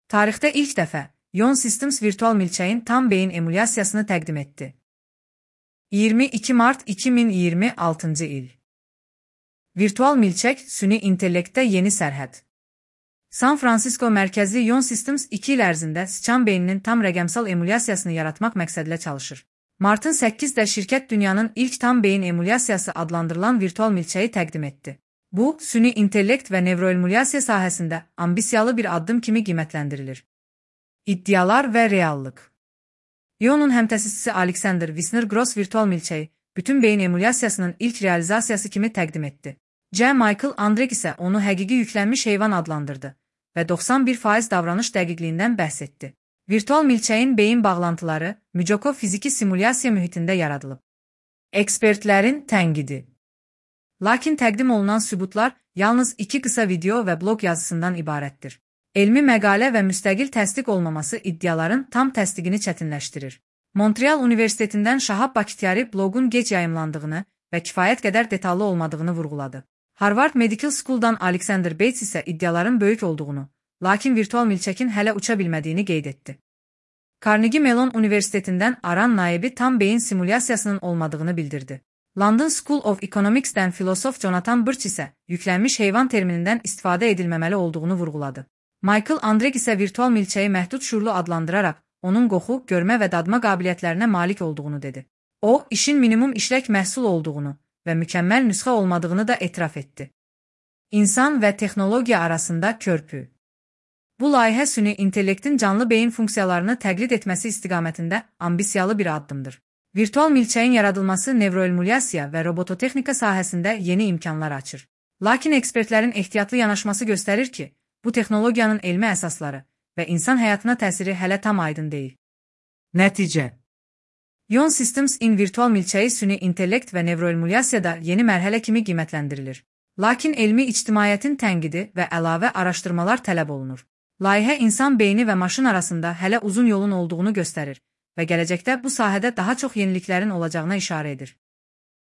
Tarixdə ilk dəfə Ion Systems virtual milçəyin tam beyin emulyasiyasını təqdim etdi. 22 mart 2026-cı il. Virtual milçək süni intellektdə yeni sərhəd. San Francisco mərkəzli Ion Systems 2 il ərzində sıçan beyninin tam rəqəmsal emulyasiyasını yaratmaq məqsədilə çalışır. Martın 8-də şirkət dünyanın ilk tam beyin emulyasiyası adlandırılan virtual milçəyi təqdim etdi. Bu, süni intellekt və nevroemulyasiya sahəsində ambisiyalı bir addım kimi qiymətləndirilir. İddialar və reallıq. Ion'un həmtəsisçisi Alexander Wisner-Gross virtual milçəyi bütün beyin emulyasiyasının ilk realizasiyası kimi təqdim etdi. C. Michael Andrek isə onu həqiqi yüklənmiş heyvan adlandırdı və 91% davranış dəqiqliyindən bəhs etdi. Virtual milçəyin beyin bağlantıları Müjokov fiziki simulyasiya mühitində yaradılıb. Ekspertlərin tənqidi. Lakin təqdim olunan sübutlar yalnız 2 qısa video və blog yazısından ibarətdir. Elmi məqalə və müstəqil təsdiq olmaması iddiaların tam təsdiqini çətinləşdirir. Montreal Universitetindən Şahab Bakhtiari bloqun gec yayımlandığını və kifayət qədər detallı olmadığını vurğuladı. Harvard Medical School'dan Alexander Bates isə iddiaların böyük olduğunu, lakin virtual milçəkin hələ uça bilmədiyini qeyd etdi. Carnegie Mellon Universitetindən Aran Naibi tam beyin simulyasiyasının olmadığını bildirdi. London School of Economics'dən filosof Jonathan Birch isə yüklənmiş heyvan terminindən istifadə edilməməli olduğunu vurğuladı. Michael Andrek isə virtual milçəyi məhdud şuurlu adlandıraraq onun qoxu, görmə və dadma qabiliyyətlərinə malik olduğunu dedi. O, işin minimum işlək məhsul olduğunu və mükəmməl nüsxə olmadığını da etiraf etdi. İnsan və texnologiya arasında körpü. Bu layihə süni intellektin canlı beyin funksiyalarını təqlid etməsi istiqamətində ambisiyalı bir addımdır. Virtual milçəyin yaradılması nevroemulyasiya və robototexnika sahəsində yeni imkanlar açır. Lakin ekspertlərin ehtiyatlı yanaşması göstərir ki, bu texnologiyanın elmi əsasları və insan həyatına təsiri hələ tam aydın deyil. Nəticə. Ion Systems in virtual milçəyi süni intellekt və nevroemulyasiyada yeni mərhələ kimi qiymətləndirilir. Lakin elmi ictimaiyyətin tənqidi və əlavə araşdırmalar tələb olunur. Layihə insan beyni və maşın arasında hələ uzun yolun olduğunu göstərir və gələcəkdə bu sahədə daha çox yeniliklərin olacağına işarə edir.